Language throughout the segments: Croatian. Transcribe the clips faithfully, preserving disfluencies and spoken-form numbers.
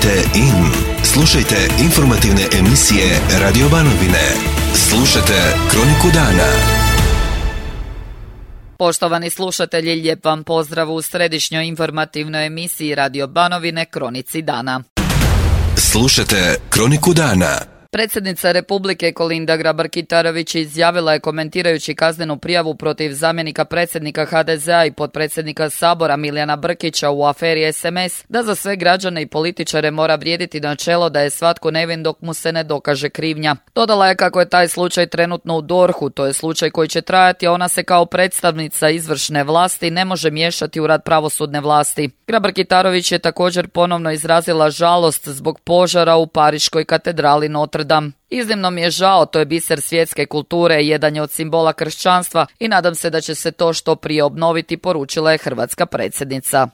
Tunite in. Slušajte informativne emisije Radio Banovine. Slušajte Kroniku dana. Poštovani slušatelji, lijep vam pozdrav u središnjoj informativnoj emisiji Radio Banovine Kronici dana. Slušajte Kroniku dana. Predsjednica Republike Kolinda Grabar-Kitarović izjavila je, komentirajući kaznenu prijavu protiv zamjenika predsjednika ha de zea i potpredsjednika Sabora Milijana Brkića u aferi es em es, da za sve građane i političare mora vrijediti načelo da je svatko nevin dok mu se ne dokaže krivnja. Dodala je kako je taj slučaj trenutno u dorhu, to je slučaj koji će trajati, a ona se kao predstavnica izvršne vlasti ne može miješati u rad pravosudne vlasti. Grabar-Kitarović je također ponovno izrazila žalost zbog požara u Pariškoj katedrali Notre Dame. Iznimno mi je žao, to je biser svjetske kulture, jedan je od simbola kršćanstva i nadam se da će se to što prije obnoviti, poručila je hrvatska predsjednica.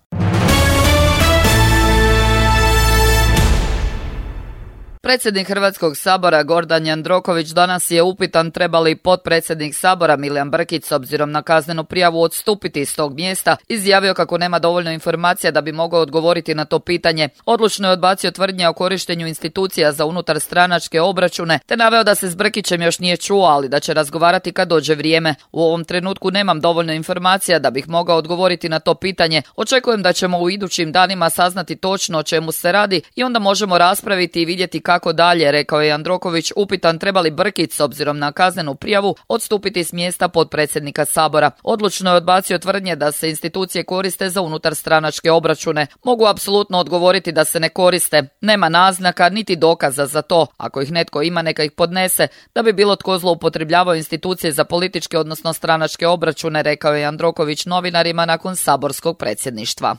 Predsjednik Hrvatskog sabora Gordan Jandroković danas je upitan treba li potpredsjednik Sabora Milijan Brkić s obzirom na kaznenu prijavu odstupiti iz tog mjesta, izjavio kako nema dovoljno informacija da bi mogao odgovoriti na to pitanje. Odlučno je odbacio tvrdnje o korištenju institucija za unutar stranačke obračune, te naveo da se s Brkićem još nije čuo, ali da će razgovarati kad dođe vrijeme. U ovom trenutku nemam dovoljno informacija da bih mogao odgovoriti na to pitanje. Očekujem da ćemo u idućim danima saznati točno o čemu se radi i onda možemo raspraviti i vidjeti kako dalje, rekao je Jandroković, upitan treba li Brkić s obzirom na kaznenu prijavu odstupiti s mjesta potpredsjednika Sabora. Odlučno je odbacio tvrdnje da se institucije koriste za unutar stranačke obračune. Mogu apsolutno odgovoriti da se ne koriste. Nema naznaka niti dokaza za to. Ako ih netko ima, neka ih podnese, da bi bilo tko zloupotrebljavao institucije za političke odnosno stranačke obračune, rekao je Jandroković novinarima nakon saborskog predsjedništva.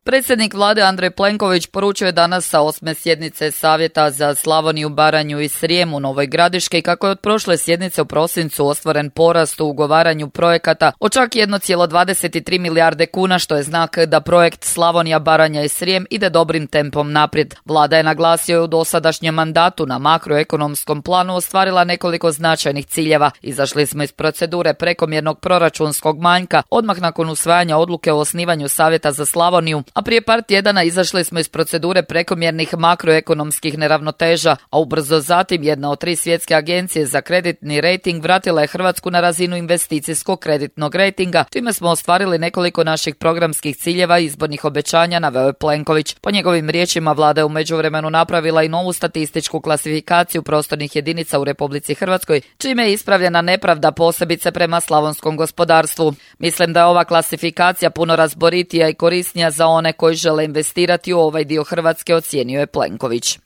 Predsjednik vlade Andrej Plenković poručio je danas sa osme sjednice Savjeta za Slavoniju, Baranju i Srijem u Novoj Gradiški kako je od prošle sjednice u prosincu ostvaren porast u ugovaranju projekata od čak jedan zarez dvadeset tri milijarde kuna, što je znak da projekt Slavonija, Baranja i Srijem ide dobrim tempom naprijed. Vlada je, naglasio je, u dosadašnjem mandatu na makroekonomskom planu ostvarila nekoliko značajnih ciljeva. Izašli smo iz procedure prekomjernog proračunskog manjka odmah nakon usvajanja odluke o osnivanju Savjeta za Slavoniju, a prije par tjedana izašli smo iz procedure prekomjernih makroekonomskih neravnoteža, a ubrzo zatim jedna od tri svjetske agencije za kreditni rejting vratila je Hrvatsku na razinu investicijskog kreditnog rejtinga, čime smo ostvarili nekoliko naših programskih ciljeva i izbornih obećanja, naveo je Plenković. Po njegovim riječima, vlada je u međuvremenu napravila i novu statističku klasifikaciju prostornih jedinica u Republici Hrvatskoj, čime je ispravljena nepravda posebice prema slavonskom gospodarstvu. Mislim da je ova klasifikacija puno razboritija i korisnija za one koji žele investirati u ovaj dio Hrvatske, ocijenio je Plenković.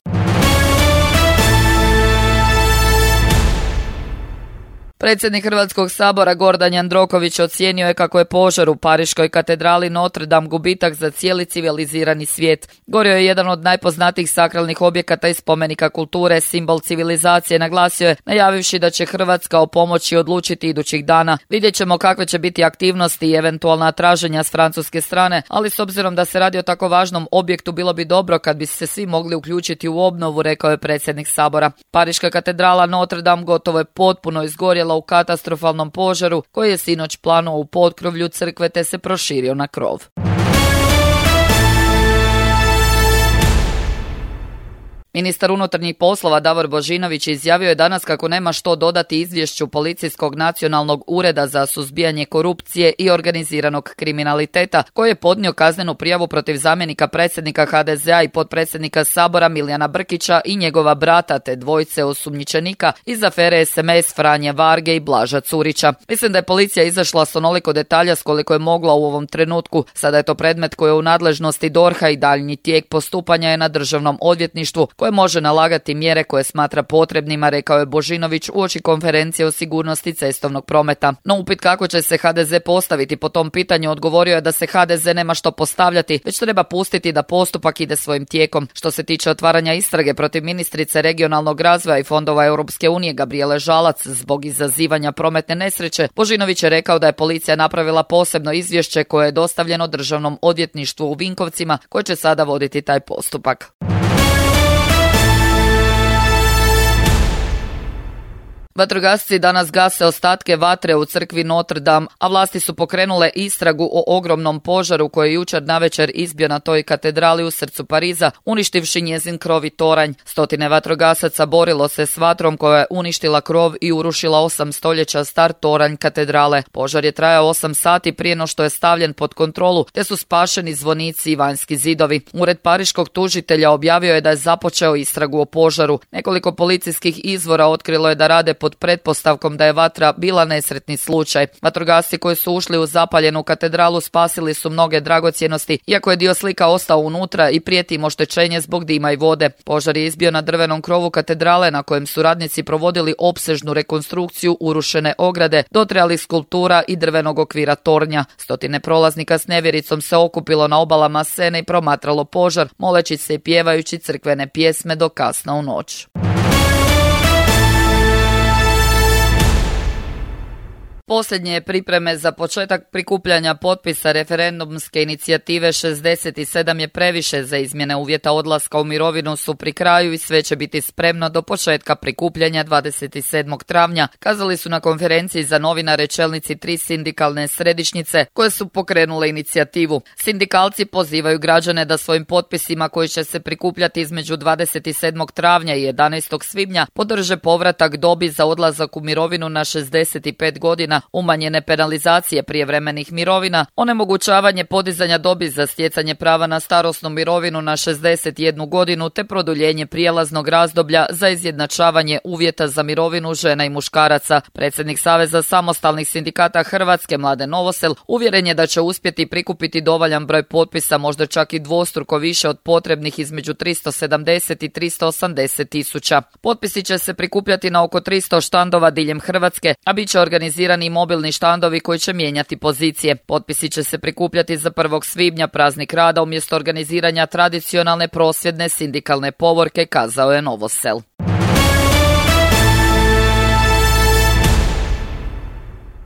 Predsjednik Hrvatskog sabora Gordan Jandroković ocijenio je kako je požar u Pariškoj katedrali Notre Dame gubitak za cijeli civilizirani svijet. Gorio je jedan od najpoznatijih sakralnih objekata i spomenika kulture, simbol civilizacije, naglasio je, najavivši da će Hrvatska o pomoći odlučiti idućih dana. Vidjet ćemo kakve će biti aktivnosti i eventualna traženja s francuske strane, ali s obzirom da se radi o tako važnom objektu, bilo bi dobro kad bi se svi mogli uključiti u obnovu, rekao je predsjednik sabora. Pariška katedrala Notre Dame gotovo je potpuno izgorjela u katastrofalnom požaru koji je sinoć planuo u potkrovlju crkve te se proširio na krov. Ministar unutarnjih poslova Davor Božinović izjavio je danas kako nema što dodati izvješću Policijskog nacionalnog ureda za suzbijanje korupcije i organiziranog kriminaliteta koji je podnio kaznenu prijavu protiv zamjenika predsjednika ha de zea i potpredsjednika Sabora Milijana Brkića i njegova brata te dvojice osumnjičenika iz afere es em es Franje Varge i Blaža Curića. Mislim da je policija izašla s onoliko detalja s koliko je mogla u ovom trenutku. Sada je to predmet koji je u nadležnosti dorha i daljnji tijek postupanja je na državnom odvjetništvu koje može nalagati mjere koje smatra potrebnima, rekao je Božinović uoči konferencije o sigurnosti cestovnog prometa. No upit kako će se ha de ze postaviti po tom pitanju, odgovorio je da se ha de ze nema što postavljati, već treba pustiti da postupak ide svojim tijekom. Što se tiče otvaranja istrage protiv ministrice regionalnog razvoja i fondova Europske unije Gabrijele Žalac zbog izazivanja prometne nesreće, Božinović je rekao da je policija napravila posebno izvješće koje je dostavljeno državnom odvjetništvu u Vinkovcima koje će sada voditi taj postupak. Vatrogasci danas gase ostatke vatre u crkvi Notre Dame, a vlasti su pokrenule istragu o ogromnom požaru koji je jučer navečer izbio na toj katedrali u srcu Pariza, uništivši njezin krov i toranj. Stotine vatrogasaca borilo se s vatrom koja je uništila krov i urušila osam stoljeća star toranj katedrale. Požar je trajao osam sati prije no što je stavljen pod kontrolu, te su spašeni zvonici i vanjski zidovi. Ured pariškog tužitelja objavio je da je započeo istragu o požaru. Nekoliko policijskih izvora otkrilo je da rade pod pretpostavkom da je vatra bila nesretni slučaj. Vatrogasci koji su ušli u zapaljenu katedralu spasili su mnoge dragocjenosti, iako je dio slika ostao unutra i prijeti im oštećenje zbog dima i vode. Požar je izbio na drvenom krovu katedrale na kojem su radnici provodili opsežnu rekonstrukciju urušene ograde, dotrajalih skulptura i drvenog okvira tornja. Stotine prolaznika s nevjericom se okupilo na obalama Sene i promatralo požar, moleći se i pjevajući crkvene pjesme do kasno u noć. Posljednje pripreme za početak prikupljanja potpisa referendumske inicijative šezdeset sedam je previše za izmjene uvjeta odlaska u mirovinu su pri kraju i sve će biti spremno do početka prikupljanja dvadeset sedmog travnja, kazali su na konferenciji za novinare čelnici tri sindikalne središnjice koje su pokrenule inicijativu. Sindikalci pozivaju građane da svojim potpisima koji će se prikupljati između dvadeset sedmog travnja i jedanaestog svibnja podrže povratak dobi za odlazak u mirovinu na šezdeset pet godina, umanjene penalizacije prijevremenih mirovina, onemogućavanje podizanja dobi za stjecanje prava na starosnu mirovinu na šezdeset jednu godinu te produljenje prijelaznog razdoblja za izjednačavanje uvjeta za mirovinu žena i muškaraca. Predsjednik Saveza samostalnih sindikata Hrvatske Mladen Novosel uvjeren je da će uspjeti prikupiti dovoljan broj potpisa, možda čak i dvostruko više od potrebnih između tristo sedamdeset i tristo osamdeset tisuća. Potpisi će se prikupljati na oko tristo štandova diljem Hrvatske, a bit će organizirani i mobilni štandovi koji će mijenjati pozicije. Potpisi će se prikupljati za prvog svibnja, praznik rada, umjesto organiziranja tradicionalne prosvjedne sindikalne povorke, kazao je Novosel.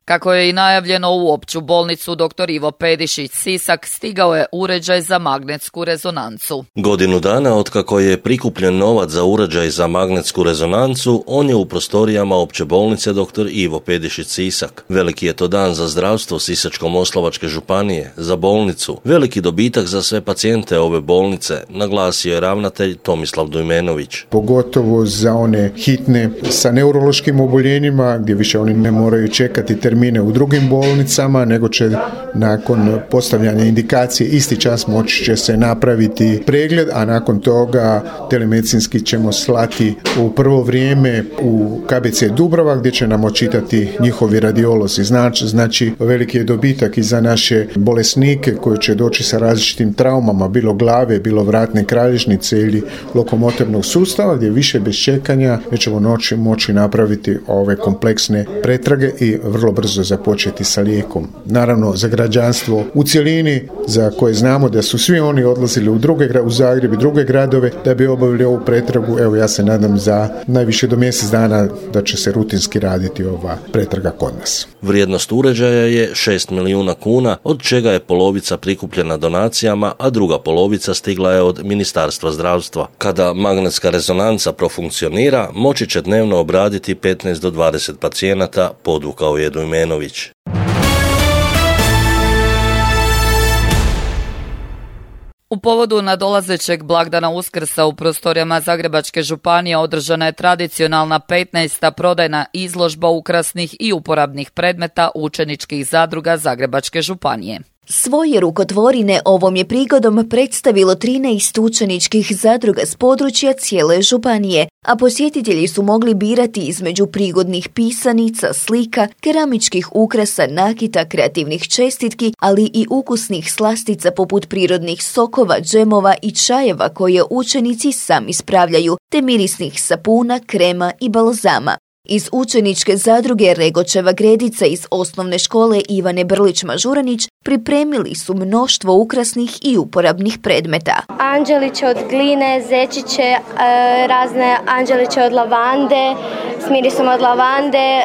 Kako je i najavljeno, u opću bolnicu doktor Ivo Pedišić Sisak stigao je uređaj za magnetsku rezonancu. Godinu dana otkako je prikupljen novac za uređaj za magnetsku rezonancu, on je u prostorijama opće bolnice doktor Ivo Pedišić Sisak. Veliki je to dan za zdravstvo Sisačko-moslavačke županije, za bolnicu. Veliki dobitak za sve pacijente ove bolnice, naglasio je ravnatelj Tomislav Dujmenović. Pogotovo za one hitne sa neurološkim oboljenjima, gdje više oni ne moraju čekati termine u drugim bolnicama, nego će nakon postavljanja indikacije isti čas moći će se napraviti pregled, a nakon toga telemedicinski ćemo slati u prvo vrijeme u K B C Dubrava, gdje će nam očitati njihovi radiolozi. Znači, znači veliki je dobitak i za naše bolesnike koji će doći sa različitim traumama, bilo glave, bilo vratne kralježnice ili lokomotornog sustava, gdje više bez čekanja već ćemo noći moći napraviti ove kompleksne pretrage i vrlo brzo započeti sa lijekom. Naravno, za građanstvo u cjelini, za koje znamo da su svi oni odlazili u druge, u Zagreb i druge gradove da bi obavili ovu pretragu, evo ja se nadam za najviše do mjesec dana da će se rutinski raditi ova pretraga kod nas. Vrijednost uređaja je šest milijuna kuna, od čega je polovica prikupljena donacijama, a druga polovica stigla je od Ministarstva zdravstva. Kada magnetska rezonanca profunkcionira, moći će dnevno obraditi petnaest do dvadeset pacijenata, podvukao je Dujmenović. U povodu nadolazećeg blagdana Uskrsa u prostorijama Zagrebačke županije održana je tradicionalna petnaesta prodajna izložba ukrasnih i uporabnih predmeta učeničkih zadruga Zagrebačke županije. Svoje rukotvorine ovom je prigodom predstavilo trinaest učeničkih zadruga s područja cijele županije, a posjetitelji su mogli birati između prigodnih pisanica, slika, keramičkih ukrasa, nakita, kreativnih čestitki, ali i ukusnih slastica poput prirodnih sokova, džemova i čajeva koje učenici sami spravljaju, te mirisnih sapuna, krema i balzama. Iz učeničke zadruge Regočeva Gredica iz osnovne škole Ivane Brlić-Mažuranić Pripremili su mnoštvo ukrasnih i uporabnih predmeta. Anđeliće od gline, zečiće, razne anđeliće od lavande, s mirisom od lavande,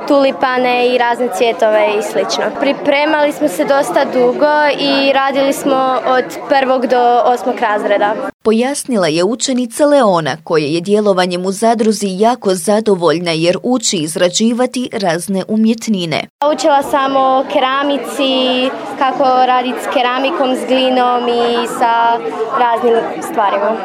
tulipane i razne cvjetove i slično. Pripremali smo se dosta dugo i radili smo od prvog do osmog razreda. Pojasnila je učenica Leona, koja je djelovanjem u zadruzi jako zadovoljna jer uči izrađivati razne umjetnine. Učila sam o keramici, kako raditi s keramikom, s glinom i sa raznim stvarima.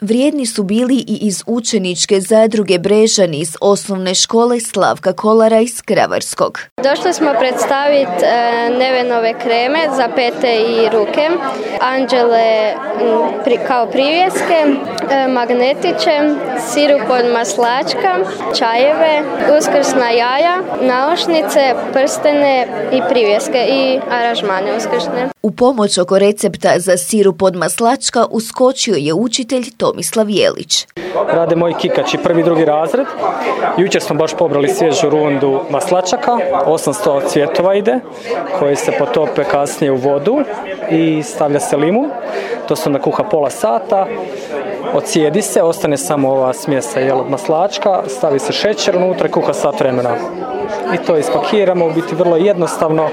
Vrijedni su bili i iz učeničke zadruge Brežani iz osnovne škole Slavka Kolara iz Kravarskog. Došli smo predstaviti e, Nevenove kreme za pete i ruke, anđele pri, kao privjeske, e, magnetiće, sirup od maslačka, čajeve, uskrsna jaja, naušnice, prstene i privjeske i aranžmane uskrsne. U pomoć oko recepta za sirup od maslačka uskočio je učitelj Tomislav Jelić. Rade moji kikači, prvi, drugi razred. Jučer smo baš pobrali svježu rundu maslačaka, osamsto cvjetova ide, koje se potope kasnije u vodu i stavlja se limun. To se onda kuha pola sata, ocijedi se, ostane samo ova smjesa jel, od maslačka, stavi se šećer unutra i kuha sat vremena. I to ispakiramo, u biti vrlo jednostavno,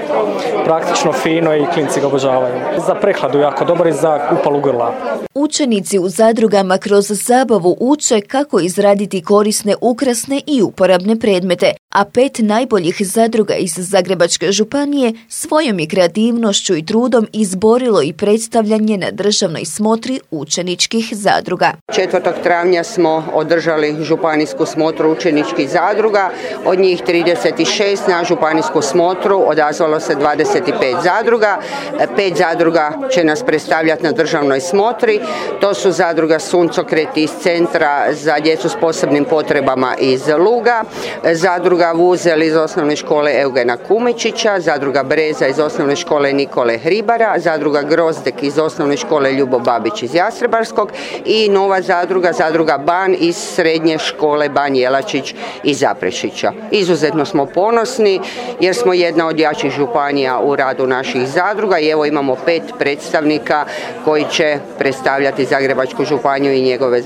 praktično, fino i klinci ga obožavaju. Za prehladu jako dobar i za upalu grla. Učenici u zadrugama kroz zabavu uče kako izraditi korisne, ukrasne i uporabne predmete, a pet najboljih zadruga iz Zagrebačke županije svojom je kreativnošću i trudom izborilo i predstavljanje na državnoj smotri učeničkih zadruga. četvrtog travnja smo održali županijsku smotru učeničkih zadruga, od njih trideset šest na županijsku smotru odazvalo se dvadeset pet zadruga. Pet zadruga će nas predstavljati na državnoj smotri. To su zadruga Suncokret iz Centra za djecu s posebnim potrebama iz Luga, zadruga Vuzel iz osnovne škole Eugena Kumičića, zadruga Breza iz osnovne škole Nikole Hribara, zadruga Grozdek iz osnovne škole Ljubo Babić iz Jastrebarskog i nova zadruga, zadruga Ban iz srednje škole Ban Jelačić iz Zaprešića. Izuzetno smo ponosni jer smo jedna od jačih županija u radu naših zadruga i evo imamo pet predstavnika koji će predstavljati Zagrebačku županiju i njegove,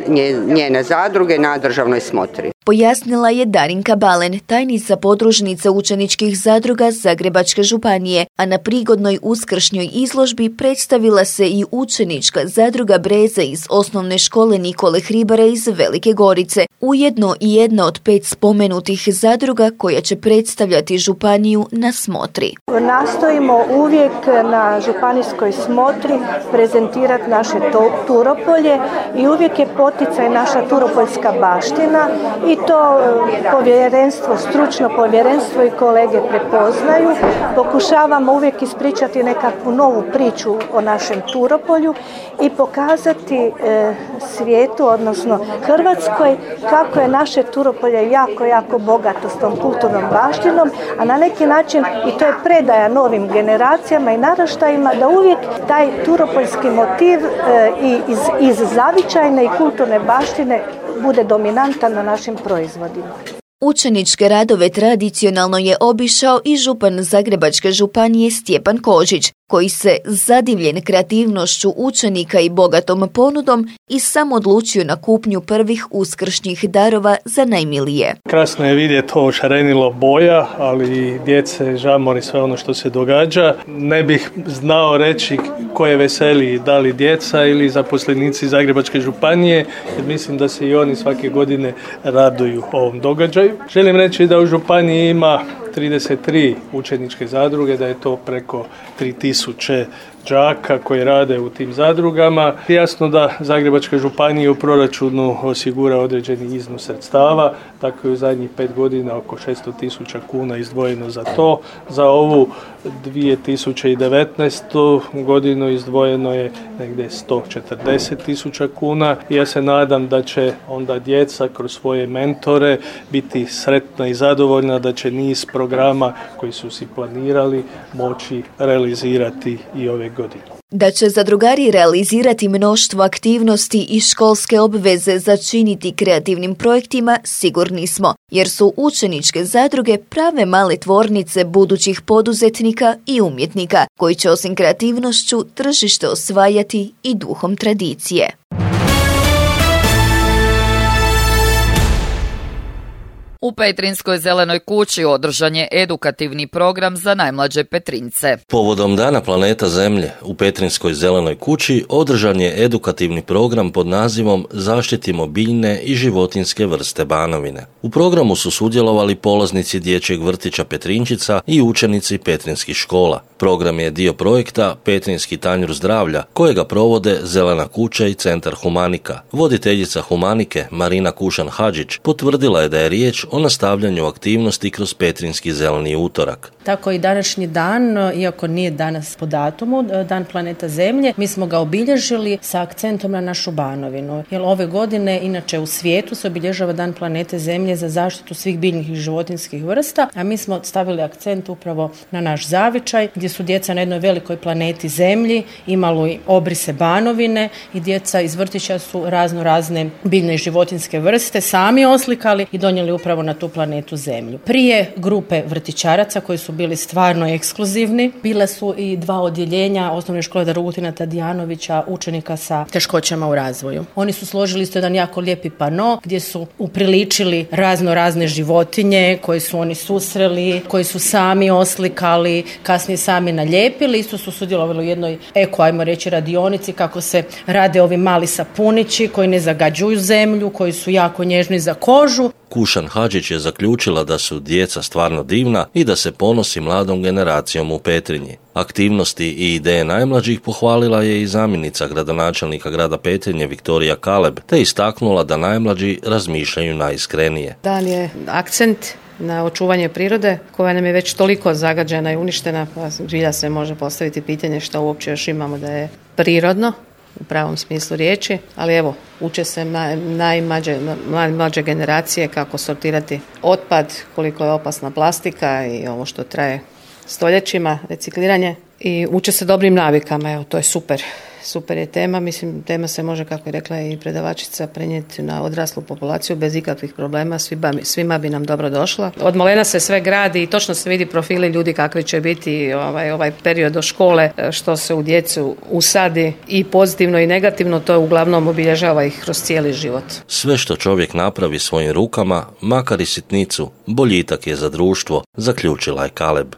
njene zadruge na državnoj smotri. Pojasnila je Darinka Balen, tajnica podružnice učeničkih zadruga Zagrebačke županije, a na prigodnoj uskršnjoj izložbi predstavila se i učenička zadruga Breze iz osnovne škole Nikole Hribara iz Velike Gorice, ujedno i jedna od pet spomenutih zadruga koja će predstavljati županiju na smotri. Nastojimo uvijek na županijskoj smotri prezentirati naše Turopolje i uvijek je poticaj naša turopoljska baština i to povjerenstvo, stručno povjerenstvo i kolege prepoznaju. Pokušavamo uvijek ispričati nekakvu novu priču o našem Turopolju i pokazati e, svijetu, odnosno Hrvatskoj, kako je naše Turopolje jako, jako bogato s tom kulturnom baštinom, a na neki način i to je predaja novim generacijama i naraštajima da uvijek taj turopoljski motiv e, i iz, iz zavičajne i kulturne baštine bude dominantan na našim proizvodima. Učeničke radove tradicionalno je obišao i župan Zagrebačke županije Stjepan Kožić, koji se zadivljen kreativnošću učenika i bogatom ponudom i sam odlučio na kupnju prvih uskršnjih darova za najmilije. Krasno je vidjeti ovo šarenilo boja, ali djece, žamor i sve ono što se događa. Ne bih znao reći ko je veseliji, da li djeca ili zaposlenici Zagrebačke županije, jer mislim da se i oni svake godine raduju ovom događaju. Želim reći da u županiji ima trideset tri učeničke zadruge, da je to preko tri tisuće đaka koji rade u tim zadrugama. Jasno da Zagrebačka županija u proračunu osigura određeni iznos sredstava, tako je u zadnjih pet godina oko šesto tisuća kuna izdvojeno za to. Za ovu dvije tisuće devetnaestu godinu izdvojeno je negdje sto četrdeset tisuća kuna. Ja se nadam da će onda djeca kroz svoje mentore biti sretna i zadovoljna, da će niz programa koji su si planirali moći realizirati i ove godine. Da će zadrugari realizirati mnoštvo aktivnosti i školske obveze začiniti kreativnim projektima, sigurni smo, jer su učeničke zadruge prave male tvornice budućih poduzetnika i umjetnika, koji će osim kreativnošću tržište osvajati i duhom tradicije. U Petrinjskoj zelenoj kući održan je edukativni program za najmlađe Petrinjce. Povodom Dana planeta Zemlje u Petrinjskoj zelenoj kući održan je edukativni program pod nazivom Zaštitimo biljne i životinjske vrste Banovine. U programu su sudjelovali polaznici dječjeg vrtića Petrinčica i učenici petrinjskih škola. Program je dio projekta Petrinjski tanjur zdravlja, kojega provode Zelena kuća i Centar Humanika. Voditeljica Humanike, Marina Kušan-Hadžić, potvrdila je da je riječ o nastavljanju aktivnosti kroz Petrinjski zeleni utorak. Tako i današnji dan, iako nije danas po datumu, Dan planeta Zemlje, mi smo ga obilježili sa akcentom na našu Banovinu. Jer ove godine, inače u svijetu, se obilježava Dan planete Zemlje za zaštitu svih biljnih i životinjskih vrsta, a mi smo stavili akcent upravo na naš zavičaj, gdje su djeca na jednoj velikoj planeti Zemlji imali obrise Banovine i djeca iz vrtića su razno razne biljne i životinjske vrste sami oslikali i donijeli upravo na tu planetu Zemlju. Prije grupe vrtićaraca koji su bili stvarno ekskluzivni, bile su i dva odjeljenja osnovne škole Dragutina Tadijanovića, učenika sa teškoćama u razvoju. Oni su složili isto jedan jako lijepi pano gdje su upriličili razno razne životinje koje su oni susreli, koji su sami oslikali, kasnije sami nalijepili. Isto su sudjelovali u jednoj eko, ajmo reći, radionici kako se rade ovi mali sapunići koji ne zagađuju zemlju, koji su jako nježni za kožu. Kušan-Hadžić je zaključila da su djeca stvarno divna i da se ponosi mladom generacijom u Petrinji. Aktivnosti i ideje najmlađih pohvalila je i zamjenica gradonačelnika grada Petrinje Viktorija Kaleb, te istaknula da najmlađi razmišljaju najiskrenije. Dan je akcent na očuvanje prirode koja nam je već toliko zagađena i uništena, pa zbilja se može postaviti pitanje što uopće još imamo da je prirodno u pravom smislu riječi, ali evo, uče se najmlađe, najmlađe generacije kako sortirati otpad, koliko je opasna plastika i ovo što traje stoljećima, recikliranje, i uče se dobrim navikama, evo, to je super. Super je tema, mislim, tema se može, kako je rekla i predavačica, prenijeti na odraslu populaciju bez ikakvih problema, svima, svima bi nam dobro došla. Od malena se sve gradi i točno se vidi profili ljudi kakvi će biti ovaj, ovaj period do škole, što se u djecu usadi i pozitivno i negativno, to uglavnom obilježava ih kroz cijeli život. Sve što čovjek napravi svojim rukama, makar i sitnicu, boljitak je za društvo, zaključila je Kaleb.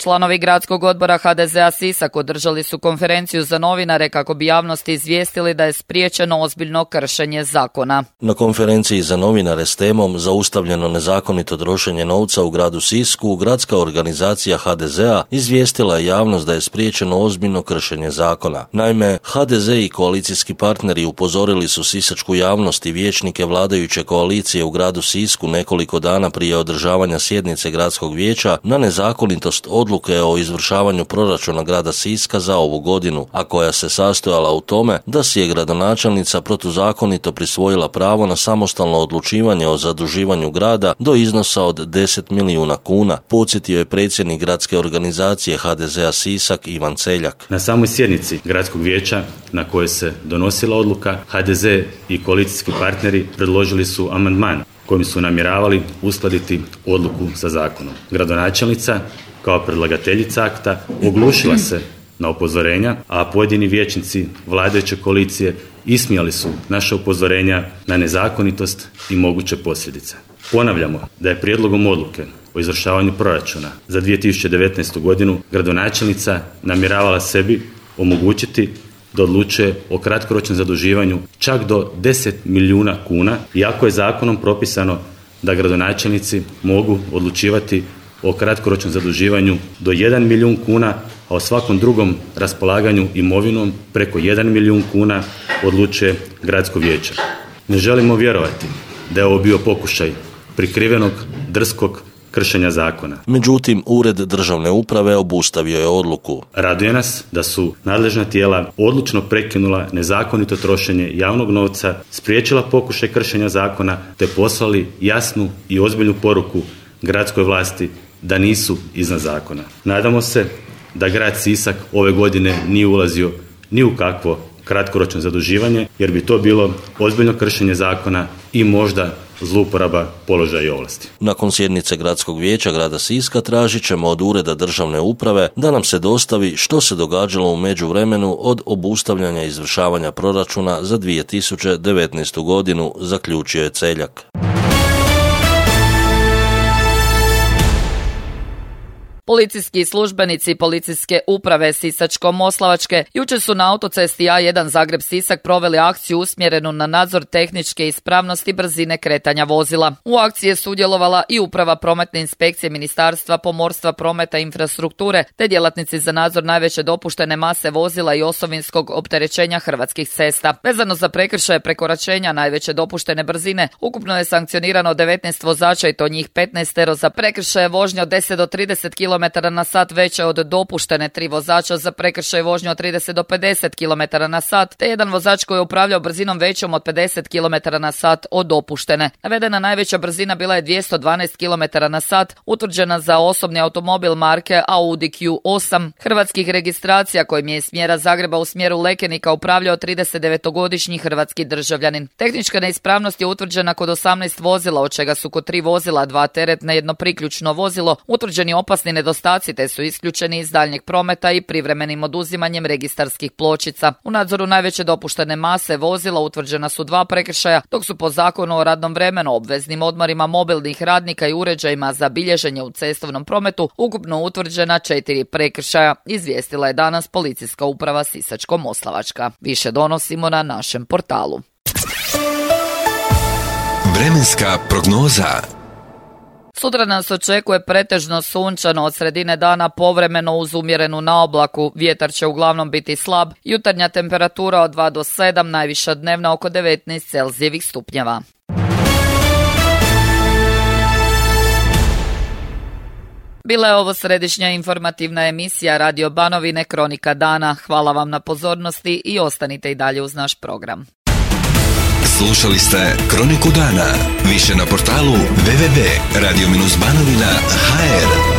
Članovi gradskog odbora ha de ze a Sisak održali su konferenciju za novinare kako bi javnosti izvijestili da je spriječeno ozbiljno kršenje zakona. Na konferenciji za novinare s temom Zaustavljeno nezakonito trošenje novca u gradu Sisku, gradska organizacija ha de ze a izvijestila je javnost da je spriječeno ozbiljno kršenje zakona. Naime, ha de ze i koalicijski partneri upozorili su sisačku javnost i vijećnike vladajuće koalicije u gradu Sisku nekoliko dana prije održavanja sjednice gradskog vijeća na nezakonitost odluke o izvršavanju proračuna grada Siska za ovu godinu, a koja se sastojala u tome da si je gradonačelnica protuzakonito prisvojila pravo na samostalno odlučivanje o zaduživanju grada do iznosa od deset milijuna kuna, podsjetio je predsjednik gradske organizacije ha de ze a Sisak Ivan Celjak. Na samoj sjednici gradskog vijeća na kojoj se donosila odluka, ha de ze i koalicijski partneri predložili su amandman kojim su namjeravali uskladiti odluku sa zakonom. Gradonačelnica kao predlagateljica akta oglušila se na upozorenja, a pojedini vijećnici vladajuće koalicije ismijali su naša upozorenja na nezakonitost i moguće posljedice. Ponavljamo da je prijedlogom odluke o izvršavanju proračuna za dvije tisuće devetnaestu godinu gradonačelnica namjeravala sebi omogućiti da odlučuje o kratkoročnom zaduživanju čak do deset milijuna kuna, iako je zakonom propisano da gradonačelnici mogu odlučivati o kratkoročnom zaduživanju do jedan milijun kuna, a o svakom drugom raspolaganju imovinom preko jedan milijun kuna odlučuje gradsko vijeće. Ne želimo vjerovati da je ovo bio pokušaj prikrivenog, drskog kršenja zakona. Međutim, Ured državne uprave obustavio je odluku. Raduje nas da su nadležna tijela odlučno prekinula nezakonito trošenje javnog novca, spriječila pokušaj kršenja zakona te poslali jasnu i ozbiljnu poruku gradskoj vlasti da nisu iznad zakona. Nadamo se da grad Sisak ove godine nije ulazio ni u kakvo kratkoročno zaduživanje, jer bi to bilo ozbiljno kršenje zakona i možda zlouporaba položaja i ovlasti. Nakon sjednice Gradskog vijeća grada Siska tražit ćemo od Ureda državne uprave da nam se dostavi što se događalo u međuvremenu od obustavljanja izvršavanja proračuna za dvije tisuće devetnaestu godinu, zaključio je Celjak. Policijski službenici policijske uprave Sisačko-moslavačke jučer su na autocesti A jedan Zagreb-Sisak proveli akciju usmjerenu na nadzor tehničke ispravnosti brzine kretanja vozila. U akciji je sudjelovala i uprava prometne inspekcije Ministarstva pomorstva, prometa i infrastrukture, te djelatnici za nadzor najveće dopuštene mase vozila i osovinskog opterećenja hrvatskih cesta. Vezano za prekršaje prekoračenja najveće dopuštene brzine, ukupno je sankcionirano devetnaest vozača i to njih petnaest za prekršaje vožnje od deset do trideset kilometara na sat veće od dopuštene, tri vozača za prekršaj vožnje od trideset do pedeset kilometara na sat, te jedan vozač koji je upravljao brzinom većom od pedeset kilometara na sat od dopuštene. Navedena najveća brzina bila je dvjesto dvanaest kilometara na sat, utvrđena za osobni automobil marke Audi Q osam hrvatskih registracija kojim je iz smjera Zagreba u smjeru Lekenika upravljao tridesetdevetogodišnji hrvatski državljanin. Tehnička neispravnost je utvrđena kod osamnaest vozila, od čega su kod tri vozila, dva teretna, jedno priključno vozilo, utvrđeni opasni nedostaci te su isključeni iz daljnjeg prometa i privremenim oduzimanjem registarskih pločica. U nadzoru najveće dopuštene mase vozila utvrđena su dva prekršaja, dok su po zakonu o radnom vremenu, obveznim odmorima mobilnih radnika i uređajima za bilježenje u cestovnom prometu ukupno utvrđena četiri prekršaja, izvijestila je danas policijska uprava Sisačko-moslavačka. Više donosimo na našem portalu. Vremenska prognoza. Sutra nas očekuje pretežno sunčano, od sredine dana povremeno uz umjerenu naoblaku. Vjetar će uglavnom biti slab, jutarnja temperatura od dva do sedam, najviša dnevna oko devetnaest Celzijevih stupnjeva. Bila je ovo središnja informativna emisija Radio Banovine Kronika dana. Hvala vam na pozornosti i ostanite i dalje uz naš program. Slušali ste Kroniku dana. Više na portalu w w w tačka radio banovina tačka h r.